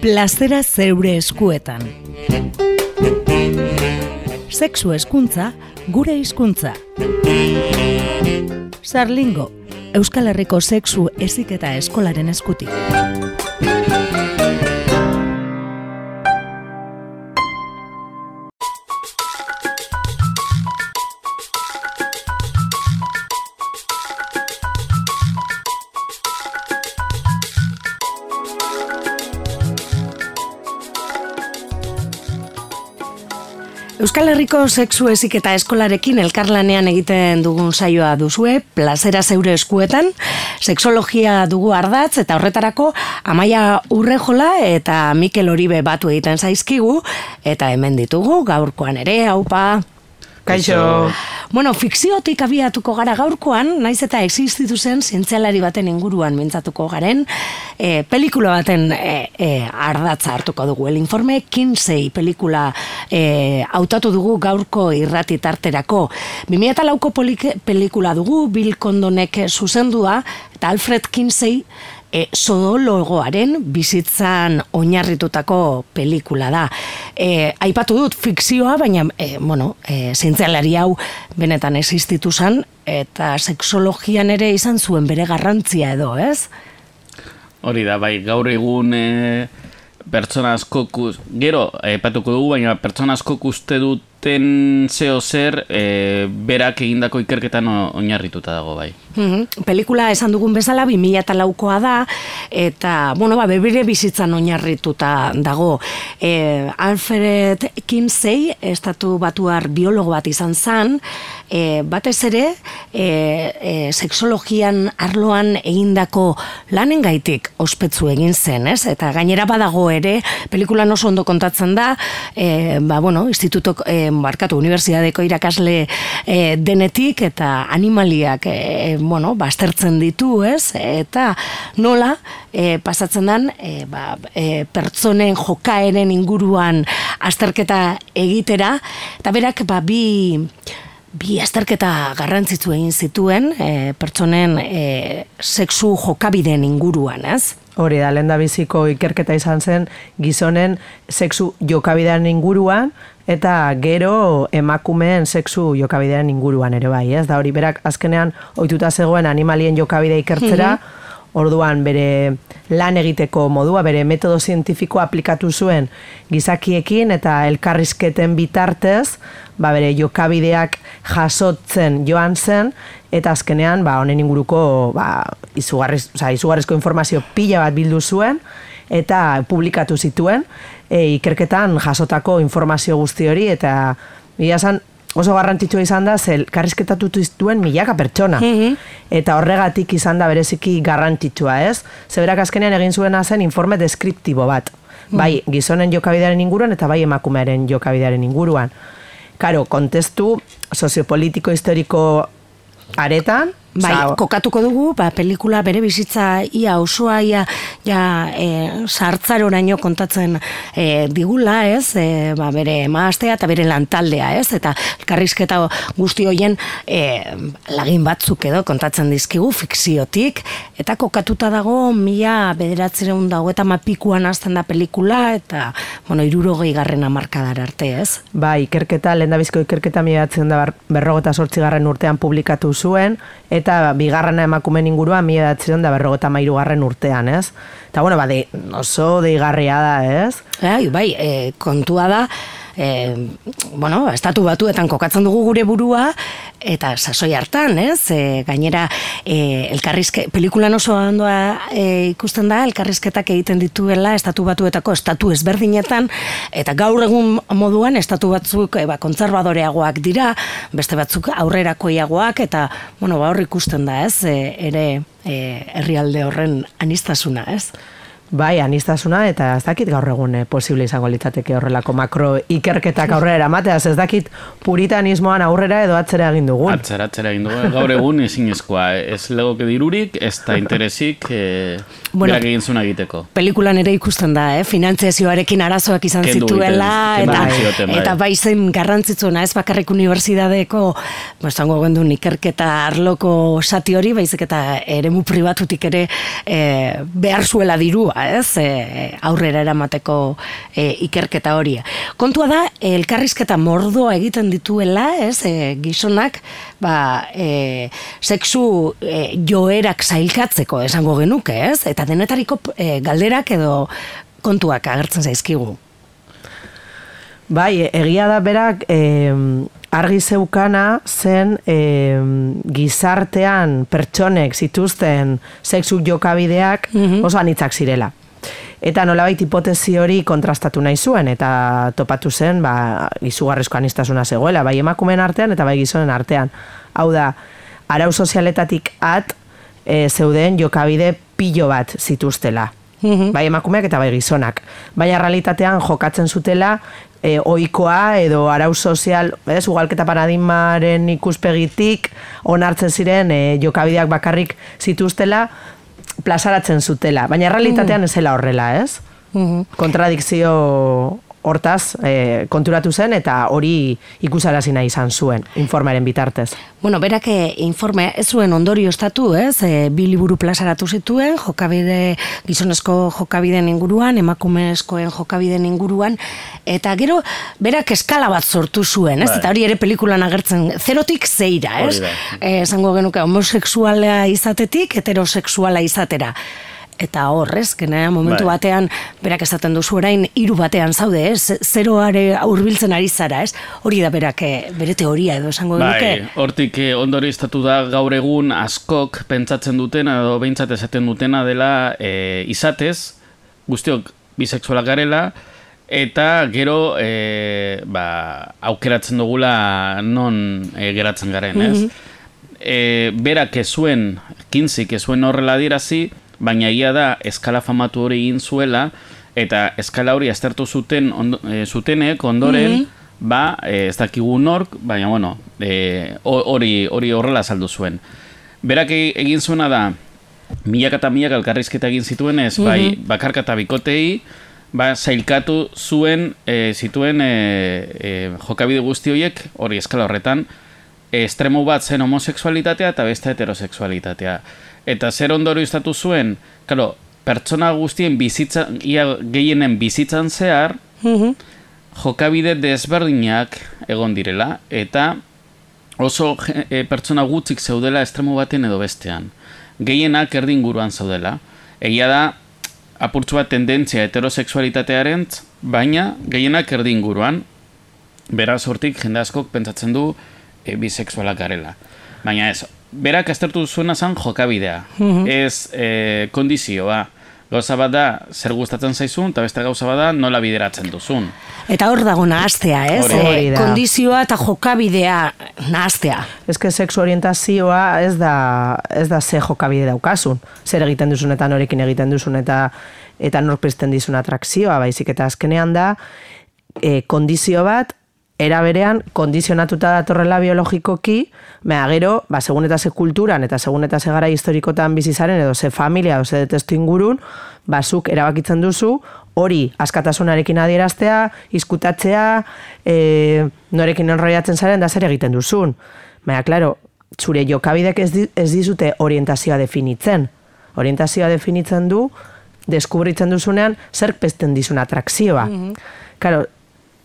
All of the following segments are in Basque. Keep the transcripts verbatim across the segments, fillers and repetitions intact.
Plazera zeure eskuetan. Sexu hezkuntza, gure hizkuntza. Sarlingo, Euskal Herriko sexu heziketa eskolaren eskutik. Euskal Herriko sexu heziketa eskolarekin elkarlanean egiten dugun saioa duzue, plazera zeure eskuetan, sexologia dugu ardatz eta horretarako Amaia Urrejola eta Mikel Oribe batu egiten zaizkigu eta hemen ditugu gaurkoan ere, haupa. Kaixo. Bueno, fikziotik abiatuko gara gaurkoan, naiz eta existitu zen zientzialari baten inguruan mintzatuko garen, e, pelikula baten e, e, ardatza hartuko dugu. El informe Kinsey pelikula e, hautatu dugu gaurko irrati tarterako. bi mila lauko pelikula dugu, Bill Condonek zuzendua, eta Alfred Kinsey E, zoologoaren bizitzan oinarritutako pelikula da. E, aipatu dut fikzioa, baina e, bueno, e, zientzialari hau benetan existitu zen, eta sexologian ere izan zuen bere garrantzia edo, ez? Hori da, bai, gaur egun e, pertsona askok, gero, aipatuko dugu, baina pertsona askok uste duten zeo zer e, berak egindako ikerketan oinarrituta dago, bai. Mm-hmm. Pelikula esan dugun bezala bi mila laukoa da eta bueno, ba, bere bizitzan oinarrituta dago. E, Alfred Kinsey, estatu batuar biologo bat izan zen, e, batez ere e, e, sexologian arloan egindako lanengaitik ospetsu egin zen, ez? Eta gainera badago ere, pelikulan oso ondo kontatzen da, e, ba, bueno, instituto e, barkatu, unibertsitateko irakasle e, denetik eta animaliak e, bueno, baztertzen ditu, ez? Eta nola e, pasatzen den e, ba, e, pertsonen jokaeren inguruan azterketa egitera, eta berak ba, bi, bi azterketa garrantzitsu egin zituen e, pertsonen e, sexu jokabideen inguruan, ez? Hori da, lehendabiziko ikerketa izan zen gizonen sexu jokabidean inguruan eta gero emakumeen sexu jokabidean inguruan ere bai, ez? Da hori berak azkenean ohituta zegoen animalien jokabidea ikertzera, orduan bere lan egiteko modua, bere metodo zientifikoa aplikatu zuen gizakiekin eta elkarrizketen bitartez, ba bere jokabideak jasotzen joan zen, eta azkenean ba honen inguruko ba izugarriz, o sea, izugarrizko informazio pila bat bildu zuen eta publikatu zituen e, ikerketan jasotako informazio guzti hori, eta bila esan oso garrantzitsua izan da, zel karrizketatu zituen milaka pertsona. Mm-hmm. Eta horregatik izan da bereziki garrantzitsua, ez? Zeberak azkenean egin zuena zen informe deskriptibo bat. Mm. Bai gizonen jokabidearen inguruan eta bai emakumearen jokabidearen inguruan. Karo, kontestu soziopolitiko historiko aretan, bai, Zau. kokatuko dugu, ba, pelikula bere bizitza ia osoa, ia, ja, e, sartzaroraino kontatzen e, digula, ez, e, ba, bere emaztea eta bere lantaldea, ez, eta elkarrizketa guzti hoien e, lagin batzuk edo kontatzen dizkigu fikziotik, eta kokatuta dago mila bederatziehun eta hogeita hamapikuan hasten da pelikula, eta, bueno, hirurogei garren hamarkadara arte, ez? Bai, ikerketa, lehendabiziko ikerketa mila bederatziehun eta berrogeita zortzi garren urtean publikatu zuen, eta bigarrena emakumeen inguruan mila bederatziehun eta berrogeita hamairu garren urtean, ez? Eta, bueno, ba, de, oso deigarria da, ez? Bai, bai, e, kontua da, e, bueno, estatu batuetan kokatzen dugu gure burua, eta sasoi hartan, ez? E, gainera, e, elkarrizke, pelikulan oso handoa e, ikusten da, elkarrizketak egiten dituela estatu batuetako estatu ezberdinetan, eta gaur egun moduan estatu batzuk e, ba, kontserbadoreagoak dira, beste batzuk aurrerakoiagoak, eta, bueno, ba, hor ikusten da, ez? E, ere e, herrialde horren aniztasuna, ez? Bai, aniztasuna, eta ez dakit gaur egun eh, posible izango litzateke horrelako makro ikerketak aurrera eramatea, ez dakit puritanismoan aurrera edo atzera egin dugun. Atzera, atzera egin dugun, gaur egun ezinezkoa, ez legoke dirurik, ez da interesik eh, bueno, berak egin zuna egiteko. Pelikulan ere ikusten da, eh? Finantzazioarekin arazoak izan Kendu zituela, egiten, eta, zioten, bai. eta bai zen garrantzitsuena, ez bakarrik unibertsitateko, esango gendun ikerketa arloko sati hori, baizik eta eremu pribatutik ere eh, behar zuela dirua. ez, e, aurrera eramateko e, ikerketa hori. Kontua da, elkarrizketa mordoa egiten dituela, ez, e, gizonak, ba, e, sexu e, joerak zailkatzeko esango genuke, ez, eta denetariko e, galderak edo kontuak agertzen zaizkigu. Bai, egia da berak eh, argi zeukana zen eh, gizartean pertsonek zituzten sexu jokabideak oso anitzak zirela. Eta nolabait hipotesi hori kontrastatu nahi zuen, eta topatu zen, ba, izugarrizko anistasuna zegoela, bai emakumeen artean eta bai gizonen artean. Hau da, arau sozialetatik at e, zeuden jokabide pilo bat zituztela. Bai emakumeak eta bai gizonak. Baina realitatean jokatzen zutela e, ohikoa edo arau sozial, ez, ugalketa paradigmaren ikuspegitik onartzen ziren e, jokabideak bakarrik zituztela, plazaratzen zutela. Baina realitatean ez zela horrela, ez? Kontradikzio hortaz e, konturatu zen eta hori ikusarazi nahi izan zuen informearen bitartez. Bueno, berak informe ez zuen ondorio estatu, ez? E, bi liburu plazaratu zituen, jokabide, gizonezko jokabideen inguruan, emakumezkoen jokabideen inguruan, eta gero berak eskala bat sortu zuen, ez? Bai. Eta hori ere pelikulan agertzen, zerotik zeira, ez? E, esango genuke homosexuala izatetik, heterosexuala izatera. Eta horrez, genera momentu bai. batean, berak esaten duzu orain, hiru batean zaude, ez? Zeroare hurbiltzen ari zara, ez? Hori da berak, bere teoria edo esango genuke. Bai, hortik ondorioztatu da gaur egun askok pentsatzen dutena edo behintzat esaten dutena dela e, izatez, guztiok bisexualak garela, eta gero e, ba, aukeratzen dugula non e, geratzen garen, ez? Mm-hmm. e, berak ezuen, Kinzik ezuen horrela dirazi, baina egia da eskala famatu hori egin zuela eta eskala hori aztertu zuten ondo, e, zutenek ondoren mm-hmm. ba, e, ez dakigu nork, baina bueno, hori e, hori horrela saldu zuen. Berak egin zuena da milaka eta milaka elkarrizketa egin zituen ez, mm-hmm. bai bakarka eta bikotei ba, zailkatu zuen e, zituen e, e, jokabide guzti horiek hori eskala horretan estremo bat zen homosexualitatea eta beste heterosexualitatea. Eta zer ondorioztatu zuen, claro, pertsona guztien bizitzan, ia gehienen bizitzan zehar, mm-hmm. jokabide desberdinak egon direla, eta oso e, pertsona gutxik zeudela estremo baten edo bestean. Gehienak erdin guruan zaudela. Egia da, apurtzu bat tendentzia heterosexualitatearen, baina gehienak erdin guruan. Beraz hortik jende askok pentsatzen du e, bisexualak garela. Baina ez, berak aztertu zuena zen jokabidea, mm-hmm. ez e, kondizioa. Gauza bat da, zer gustatzen zaizun, eta beste gauza bat da, nola bideratzen duzun. Eta hor dago nahaztea, ez? Hori da. Kondizioa eta jokabidea nahaztea. Ez que sexu orientazioa ez da, ez da ze jokabide daukasun. Zer egiten duzun eta norekin egiten duzun eta eta nork pizten dizun atrakzioa, baizik eta azkenean da e, kondizio bat, era berean, kondizionatuta datorrela biologikoki, mea gero, ba, segun eta ze kulturan, eta segun eta ze gara historikotan bizizaren, edo ze familia, edo ze testu ingurun, bazuk erabakitzen duzu, hori askatasunarekin adieraztea, izkutatzea, e, norekin enroiatzen zaren, da zer egiten duzun. Mea, klaro, zure jokabidek ez, di, ez dizute orientazioa definitzen. Orientazioa definitzen du, deskubritzen duzunean, zer pezten dizun atrakzioa. Mm-hmm. Klaro,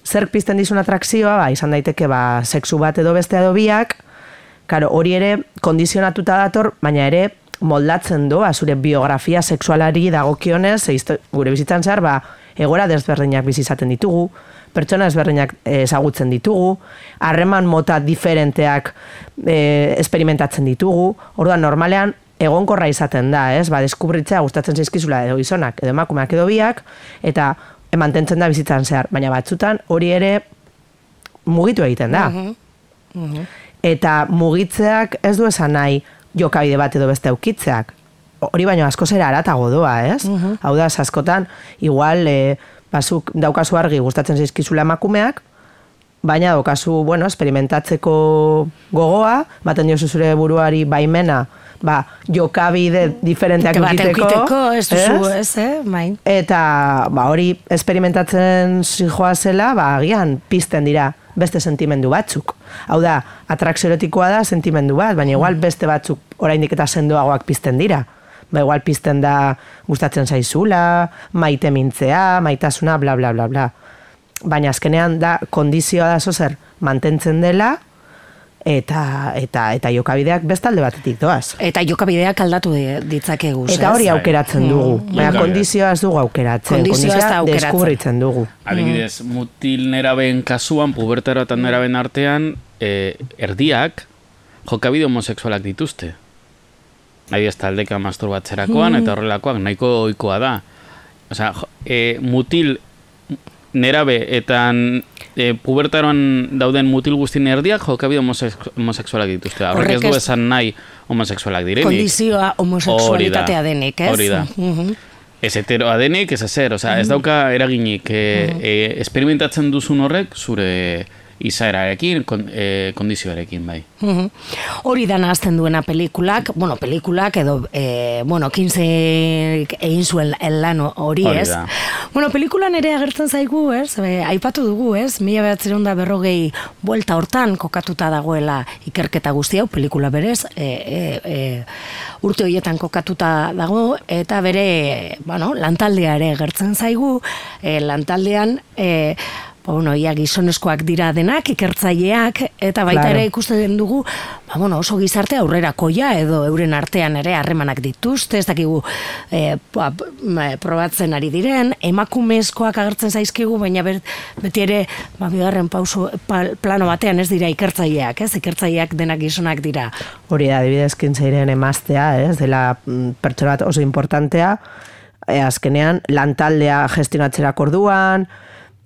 zer pizten dizun atrakzioa, ba, izan daiteke ba, sexu bat edo beste edo biak, karo, hori ere kondizionatuta dator, baina ere moldatzen du, ba, zure biografia sexualari dagokionez, gure bizitzan zehar, ba, egora desberdinak bizizaten ditugu, pertsona desberdinak ezagutzen ditugu, harreman mota diferenteak e, esperimentatzen ditugu, orduan normalean egonkorra izaten da, ez? Ba, deskubritzea gustatzen zaizkizula edo gizonak, edo emakumeak edo biak, eta mantentzen da bizitzan zehar, baina batzutan hori ere mugitu egiten da. Uh-huh. Uh-huh. Eta mugitzeak ez du esan nahi jokabide bat edo beste aukitzeak. Hori baino asko zera aratago doa, ez? Uh-huh. Hau da, askotan, igual, e, bazuk daukazu argi gustatzen zaizkizula emakumeak, baina daukazu, bueno, experimentatzeko gogoa, baten diozu zure buruari baimena, ba, jokabide diferenteak egiteko, ez duzu, ez, eh, bai. Eta, ba, hori experimentatzen zijoa zela, ba, agian pizten dira beste sentimendu batzuk. Hau da, atrakzio erotikoa da sentimendu bat, baina igual beste batzuk oraindik eta sendoagoak pizten dira. ba igual pizten da gustatzen zaizula, maite mintzea, maitasuna, bla, bla, bla, bla. Baina azkenean da, kondizioa da zozer mantentzen dela, eta eta eta jokabideak bestalde batetik doaz. Eta jokabideak aldatu ditzakegu, ez? Eta hori aukeratzen dugu. Mm. Baina kondizioa ez dugu aukeratzen. Kondizioa ez da aukeratzen. Deskubritzen dugu. Adibidez, mutil nerabeen kasuan, pubertaroa eta nerabeen artean, eh, erdiak jokabide homosexualak dituzte. Nahi ez taldeka masturbatzerakoan, mm. eta horrelakoak nahiko ohikoa da. Osea, eh, mutil nerabe eta e, pubertaroan dauden mutil guztien erdiak jokabide homosexualak dituzte. Horrek ez du esan nahi homosexualak direnik. Kondizioa homosexualitatea denik, ez? Hori da. Uh-huh. Ez heteroa denik, ez ezer. Osea, ez dauka eraginik. E, uh-huh. e, experimentatzen duzun horrek zure izaerarekin, kon, e, kondizioarekin, bai. Uh-huh. Hori da nahazten duena pelikulak, bueno, pelikulak edo, e, bueno, quince egin zuen lan hori, ez? Da. Bueno, pelikulan ere agertzen zaigu, ez? E, aipatu dugu, ez? Mila behatzerun da berrogei buelta hortan kokatuta dagoela ikerketa guzti hau, pelikula berez, e, e, e, urte horietan kokatuta dago, eta bere, bueno, lantaldea ere agertzen zaigu, e, lantaldean, e, bueno, ia gizonezkoak dira denak, ikertzaileak, eta baita claro. ere ikusten dugu, ba, bueno, oso gizarte aurrerakoia edo euren artean ere harremanak dituzte, ez dakigu e, ba, probatzen ari diren, emakumezkoak agertzen zaizkigu, baina ber, beti ere ba, bigarren pauso pa, plano batean ez dira ikertzaileak, ez? Ikertzaileak denak gizonak dira. Hori da, adibidez kintzairen emaztea, ez? Dela pertsona bat oso importantea, e, azkenean lantaldea gestionatzerak orduan,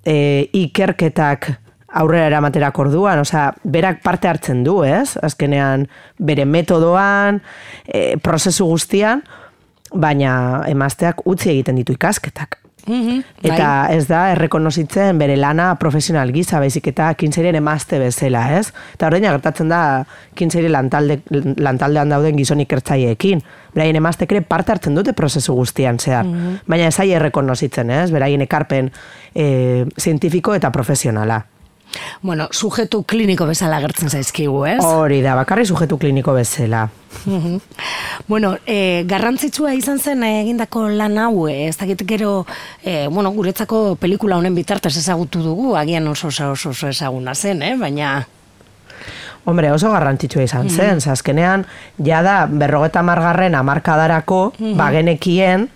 E, ikerketak aurrera eramaterak orduan, osea, berak parte hartzen du, ez? Azkenean, bere metodoan, e, prozesu guztian, baina emazteak utzi egiten ditu ikasketak. Mm-hmm, eta bai. Ez da, errekonozitzen bere lana profesional giza, baizik eta kintzairen emazte bezala, ez? Eta ordeina gertatzen da, kintzaire lantalde, lantaldean dauden gizon ikertzaileekin. Beraien emaztek ere parte hartzen dute prozesu guztian zehar. Mm-hmm. Baina ez aia errekonozitzen, ez? Beraien ekarpen e, zientifiko eta profesionala. Bueno, sujetu kliniko bezala gertzen zaizkigu, ez? Hori da, bakarri sujetu kliniko bezala. Uh-huh. Bueno, e, garrantzitsua izan zen egindako lan hau, ez dakit gero, e, bueno, guretzako pelikula honen bitartez ezagutu dugu, agian oso oso, oso ezaguna zen, eh? Baina... Hombre, oso garrantzitsua izan zen, uh-huh. azkenean, jada berrogeta margarren amarkadarako, uh-huh. bagenekien,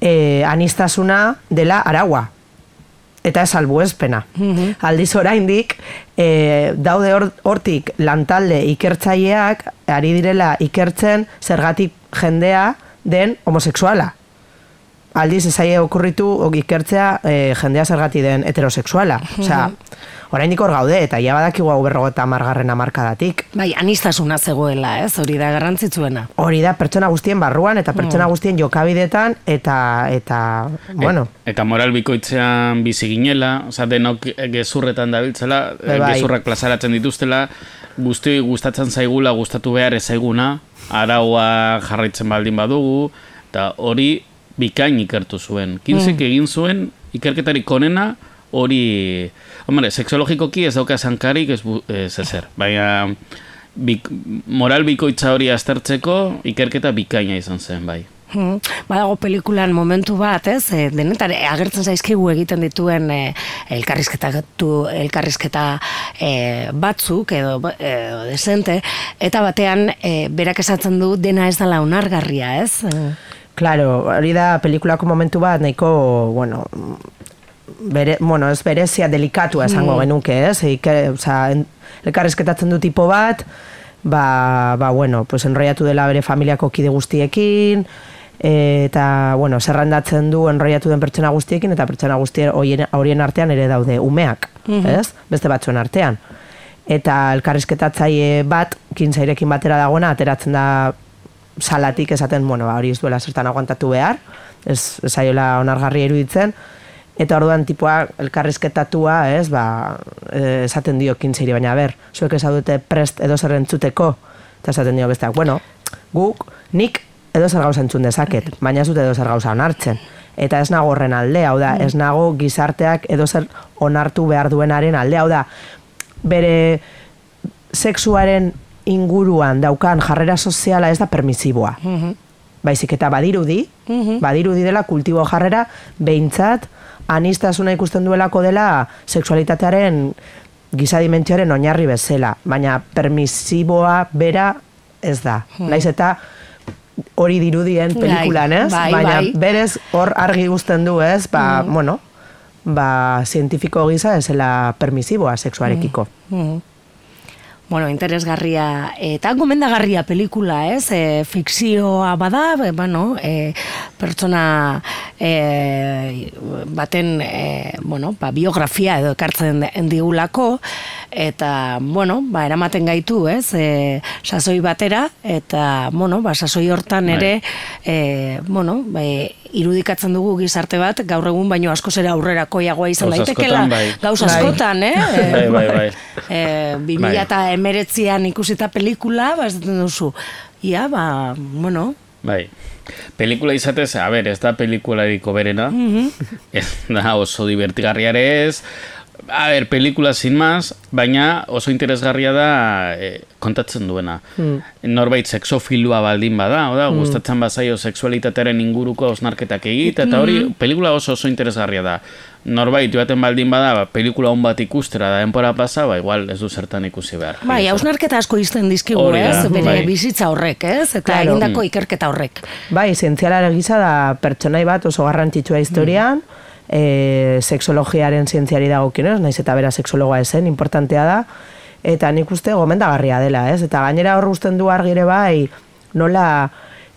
e, anistasuna dela araua. Eta ez salbuespena. Mm-hmm. Aldiz oraindik, e, daude hortik lantalde ikertzaileak ari direla ikertzen zergatik jendea den homosexuala. Aldiz ez aie okurritu ikertzea e, jendea zergatik den heterosexuala. Mm-hmm. Osea, oraindik hor gaude, eta ja badakigu hau berrogeta margarren amarkadatik. Bai, anistasuna zegoela, ez? Hori da garrantzitsuena. Hori da, pertsona guztien barruan, eta pertsona mm. guztien jokabidetan, eta, eta bueno. Et, eta moral bikoitzean bizi ginela, oza, denok gezurretan dabiltzela, e, gezurrak plazaratzen dituztela, guzti gustatzen zaigula, gustatu behar ezaiguna, araua jarraitzen baldin badugu, eta hori bikain ikertu zuen. Kinzik mm. egin zuen, ikerketarik onena, hori, hombre, sexologikoki ez dauka zankarik ez, ez ezer, baina bik, moral bikoitza hori aztertzeko ikerketa bikaina izan zen, bai. Hmm. Badago pelikulan momentu bat, ez? E, denetan agertzen zaizkigu egiten dituen e, elkarrizketa, elkarrizketa e, batzuk edo e, desente, eta batean e, berak esatzen du dena ez dela onargarria, ez? Claro, hori da pelikulako momentu bat nahiko, bueno, bere, bueno, ez berezia delikatua esango mm. genuke, ez? Eike, oza, elkarrizketatzen du tipo bat, ba, ba bueno, pues enroiatu dela bere familiako kide guztiekin, eta, bueno, zerrandatzen du enroiatu den pertsona guztiekin, eta pertsona guztien horien artean ere daude umeak, mm-hmm. ez? Beste batzuen artean. Eta elkarrizketatzaile bat, kintzairekin batera dagoena, ateratzen da salatik esaten, bueno, ba, hori ez duela zertan aguantatu behar, ez, ez aiola onargarri eruditzen, eta orduan tipua elkarrizketatua, ez, ba, esaten dio kintzairi, baina ber, zuek ez dute prest edo zer entzuteko, eta esaten dio besteak, bueno, guk, nik edo zer gauza entzun dezaket, baina ez dute edo zer gauza onartzen. Eta ez nago horren alde, hau da, ez nago gizarteak edo zer onartu behar duenaren alde, hau da, bere sexuaren inguruan daukan jarrera soziala ez da permisiboa. Mm-hmm. baizik eta badirudi, mm-hmm. badirudi dela kultibo jarrera, behintzat, anistasuna ikusten duelako dela sexualitatearen gizadimentioaren oinarri bezala, baina permisiboa bera ez da. Hmm. Naiz eta hori dirudien pelikulan, ez? Bai, baina bai. berez hor argi guzten du, ez? Ba, hmm. bueno, ba, zientifiko gisa ezela permisiboa sexuarekiko. Hmm. Hmm. Bueno, interesgarria eta gomendagarria pelikula, ez? E, fikzioa bada, e, bueno, e, pertsona e, baten e, bueno, ba, biografia edo ekartzen digulako, eta, bueno, ba, eramaten gaitu, ez? E, sasoi batera, eta, bueno, ba, sasoi hortan ere, e, bueno, ba, irudikatzen dugu gizarte bat, gaur egun baino askoz ere aurrerakoiagoa izan daitekela, gauz askotan, eh? Bai, bai, bai. E, bi mila emeretzian ikusita pelikula, ba, ez duzu, ia, ba, bueno. Bai, pelikula izatez, a ber, ez da pelikulariko berena, mm-hmm. ez da oso divertigarriare ez, a ber, pelikula sin más, baina oso interesgarria da eh, kontatzen duena. Mm. Norbait sexofilua baldin bada, oda, mm. gustatzen bazaio sexualitatearen inguruko osnarketak egit, eta hori pelikula oso oso interesgarria da. Norbait joaten baldin bada, ba, pelikula hon bat ikustera da denpora pasa, ba, igual ez du zertan ikusi behar. Bai, hausnarketa asko izten dizkigu, ez? Bere bai. bizitza horrek, ez? Eta claro. egindako ikerketa horrek. Bai, zientzialari gisa da pertsonai bat oso garrantzitsua historian, mm. E, sexologiaren zientziari dagokionez, naiz eta bera sexologoa esen, importantea da, eta nik uste gomendagarria dela, ez? Eta gainera hor guzten du argire bai, nola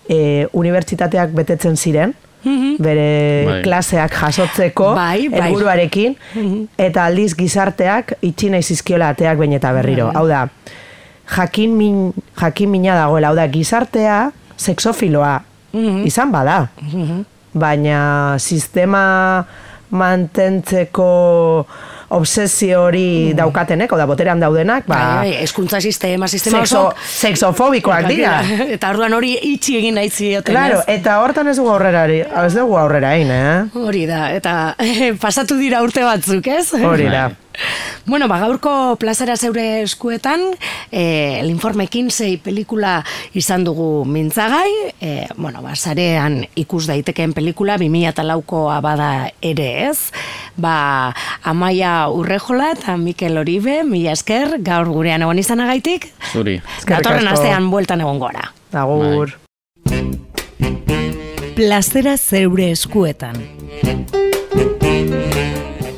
e, unibertsitateak betetzen ziren, mm-hmm. bere bai. klaseak jasotzeko bai, bai. helburuarekin, mm-hmm. eta aldiz gizarteak itxi nahi zizkiola ateak behin eta berriro. Mm-hmm. Hau da, jakin, min, jakin mina dagoela, hau da, gizartea sexofiloa mm-hmm. izan bada. Mm-hmm. Baina sistema mantentzeko obsesio hori mm. daukatenek, oda boterean daudenak, ba... Bai, bai, eskuntza sistema, sistema sexo, sexofobikoak dira. Eta orduan hori itxi egin nahi zioten, claro, eta hortan ez dugu aurrera, ez dugu aurrera egin, eh? Hori da, eta pasatu dira urte batzuk, ez? Hori da. Bueno, ba, gaurko plazera zeure eskuetan, eh, el informe Kinsey pelikula izan dugu mintzagai, eh, bueno, ba, sarean ikus daitekeen pelikula, bi mila lauko abada ere ez, ba, Amaia Urrejola eta Mikel Oribe, mila esker, gaur gurean egon izanagaitik. Zuri. Datorren astean bueltan egon gora. Agur. Plazera zeure eskuetan.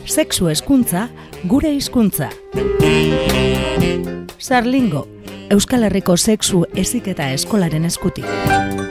Sexu hezkuntza, gure hizkuntza. Sarlingo, Euskal Herriko sexu heziketa eskolaren eskutik.